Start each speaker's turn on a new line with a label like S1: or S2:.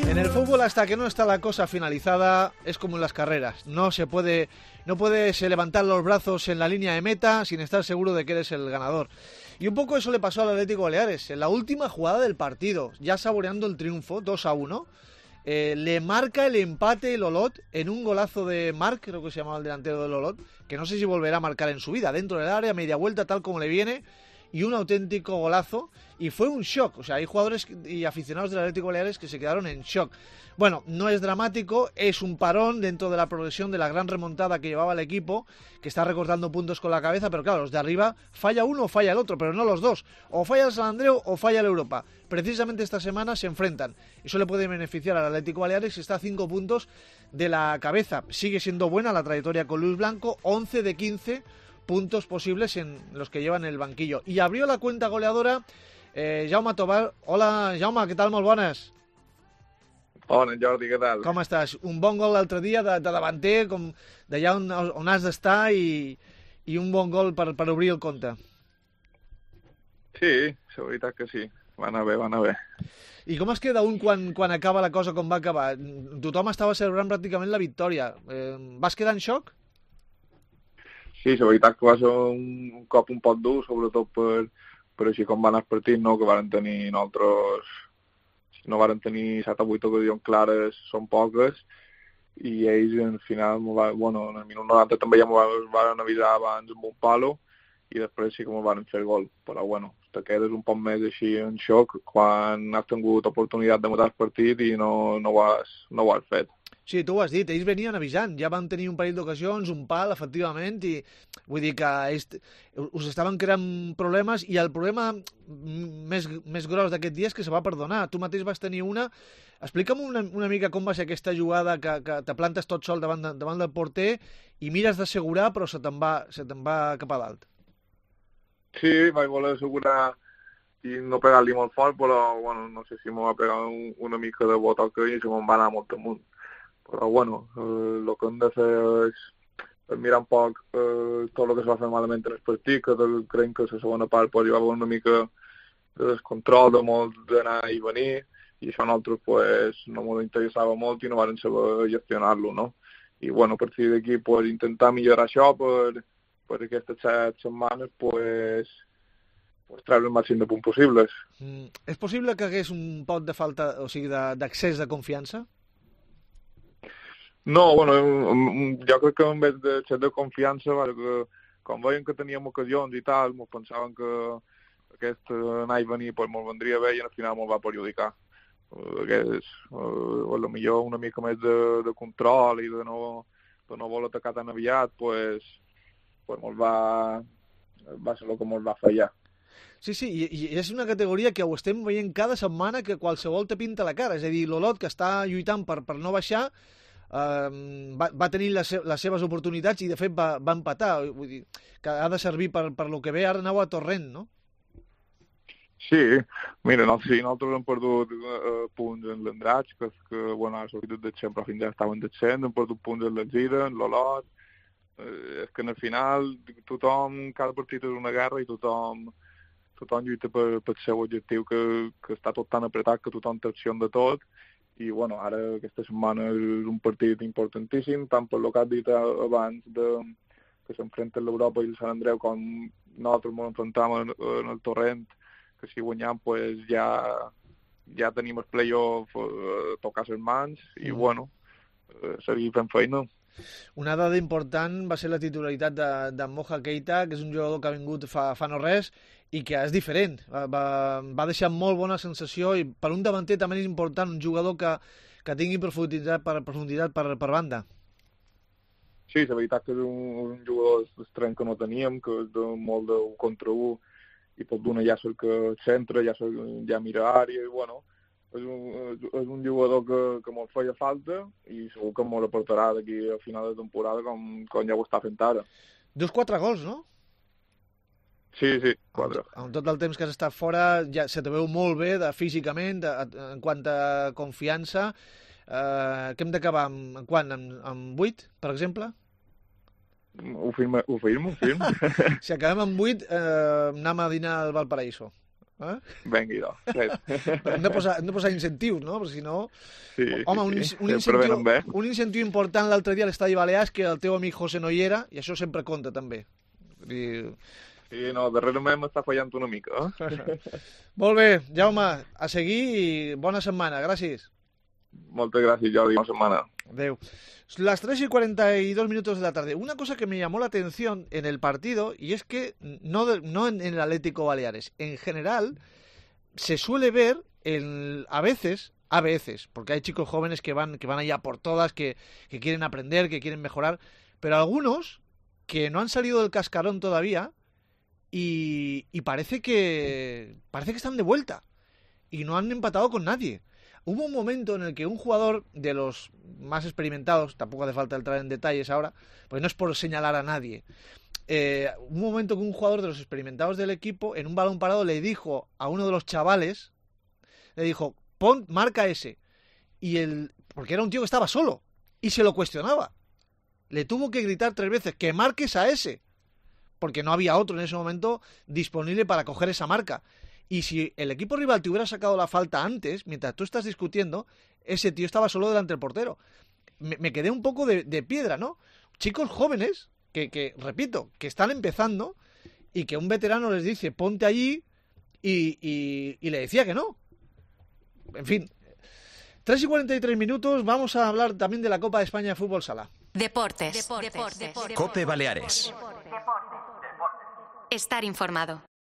S1: En el fútbol, hasta que no está la cosa finalizada, es como en las carreras. No puedes levantar los brazos en la línea de meta sin estar seguro de que eres el ganador. Y un poco eso le pasó al Atlético Baleares. En la última jugada del partido, ya saboreando el triunfo, 2-1, le marca el empate el Olot en un golazo de Marc, creo que se llamaba el delantero del Olot, que no sé si volverá a marcar en su vida, dentro del área, media vuelta, tal como le viene, y un auténtico golazo, y fue un shock. O sea, hay jugadores y aficionados del Atlético Baleares que se quedaron en shock. Bueno, no es dramático, es un parón dentro de la progresión de la gran remontada que llevaba el equipo, que está recortando puntos con la cabeza, pero claro, los de arriba falla uno o falla el otro, pero no los dos. O falla el San Andreu o falla el Europa. Precisamente esta semana se enfrentan. Eso le puede beneficiar al Atlético Baleares, que está a 5 puntos de la cabeza. Sigue siendo buena la trayectoria con Luis Blanco, 11 de 15 puntos posibles en los que llevan el banquillo. I abrió la cuenta goleadora Jaume Tobar. Hola, Jaume, què tal? Molt bones.
S2: Bona, Jordi, què tal?
S1: Com estàs? Un bon gol l'altre dia de davanter, com d'allà on has d'estar, i un bon gol per obrir el compte.
S2: Sí, la veritat que sí. Va anar bé, va anar bé.
S1: I com es queda un quan acaba la cosa com va acabar? Tothom estava celebrant pràcticament la victòria. Vas quedar en xoc?
S2: Sí, la veritat que va ser un cop un poc dur, sobretot per així com van els partits, no? Que varen tenir nosaltres, si no varen tenir 7 o 8 ocasions clares, són poques, i ells al final, en el minut 90 també ja m'ho van avisar abans amb un palo, i després sí que m'ho van fer el gol. Però te quedes un poc més així en xoc quan has tingut oportunitat de matar el partit i no ho has fet.
S1: Sí, tu ho has dit, ells venien avisant, ja van tenir un parell d'ocasions, un pal, efectivament, i vull dir que ells us estaven creant problemes, i el problema més gros d'aquest dia és que se va perdonar. Tu mateix vas tenir una. Explica'm una mica com va ser aquesta jugada que te plantes tot sol davant del porter i mires d'assegurar, però se te'n va cap a dalt.
S2: Sí, vaig voler assegurar i no pegar-li molt fort, però no sé si m'ho va pegar una mica de botoca i se me'n va anar molt amunt. Però el que hem de fer és mirar un poc tot el que es va fer malament en el partit, que creiem que la segona part hi va haver una mica de descontrol, de molt d'anar i venir, i això a nosaltres no ens interessava molt i no vam saber gestionar-lo, no? I a partir d'aquí intentar millorar això per aquestes 7 setmanes treure el màxim de punts possibles.
S1: És possible que hagués un poc de falta, o sigui, d'accés de confiança?
S2: No, jo crec que en vez de ser de confiança, que com veien que teníem ocasions i tal, ens pensaven que aquest anar i venir mos vendria bé i al final mos va perjudicar. Millor una mica més de control i de no voler atacar tan aviat, va ser el que mos va fallar.
S1: Sí, i és una categoria que ho estem veient cada setmana, que qualsevol te pinta la cara. És a dir, l'Olot, que està lluitant per no baixar, va tenir les seves oportunitats i de fet va empatar. Vull dir que ha de servir per lo que ve. Ara aneu a Torrent, no?
S2: Sí, mira, nosaltres hem perdut punts en l'Andratx, que ha sortit de sempre fins ara estaven descent, hem perdut punts en l'Alzira, en l'Olot. És que al final cada partit és una guerra i tothom lluita pel seu objectiu, que està tot tan apretat que tothom té opció de tot. I ara aquesta setmana és un partit importantíssim, tant per el que has dit abans que s'enfrenten l'Europa i el Sant Andreu, com nosaltres ens enfrontem en el Torrent, que si guanyam ja tenim el play-off tocar les mans i seguir fent feina.
S1: Una dada important va ser la titularitat de Moja Keita, que és un jugador que ha vingut fa no res i que és diferent. Va deixar molt bona sensació, i per un davanter també és important un jugador que tingui profunditat per banda.
S2: Sí, la veritat que és un jugador estrany que no teníem, que és molt de 1 contra 1 i pot donar ja cerca centre, ja mira àrea, i és un jugador que molt feia falta i segur que molt aportarà d'aquí a final de temporada com ja ho està fent ara.
S1: Dius 4 gols, no?
S2: Sí, 4.
S1: En tot el temps que has estat fora ja se te veu molt bé físicament, en quant a confiança. Que hem d'acabar amb 8, per exemple?
S2: Ho firmo.
S1: Si acabem amb 8, anem a dinar al Valparaíso.
S2: Vinga, idò.
S1: Hem de posar incentius, no? Perquè si no...
S2: Sí,
S1: home,
S2: sí.
S1: Un incentiu important l'altre dia a l'Estadi Balears, que el teu amic José no hi era, i això sempre compta, també.
S2: Sí, no, darrerament m'està fallant una mica.
S1: Molt bé, Jaume, a seguir i bona setmana, gràcies.
S2: Moltes gràcies, Jordi, bona setmana.
S1: Adeu. Las 3:42 de la tarde. Una cosa que me llamó la atención en el partido, y es que no en el Atlético Baleares, en general se suele ver a veces, porque hay chicos jóvenes que van allá por todas, que quieren aprender, que quieren mejorar, pero algunos que no han salido del cascarón todavía y parece que están de vuelta y no han empatado con nadie. Hubo un momento en el que un jugador de los más experimentados, tampoco hace falta entrar en detalles ahora, pues no es por señalar a nadie, un momento que un jugador de los experimentados del equipo, en un balón parado, le dijo a uno de los chavales, le dijo, marca ese. Porque era un tío que estaba solo y se lo cuestionaba. Le tuvo que gritar 3 veces, que marques a ese, porque no había otro en ese momento disponible para coger esa marca. Y si el equipo rival te hubiera sacado la falta antes, mientras tú estás discutiendo, ese tío estaba solo delante del portero. Me quedé un poco de piedra, ¿no? Chicos jóvenes que, repito, que están empezando y que un veterano les dice, ponte allí, y le decía que no. En fin, 3:43, vamos a hablar también de la Copa de España de Fútbol Sala.
S3: Deportes. COPE Baleares. Estar informado.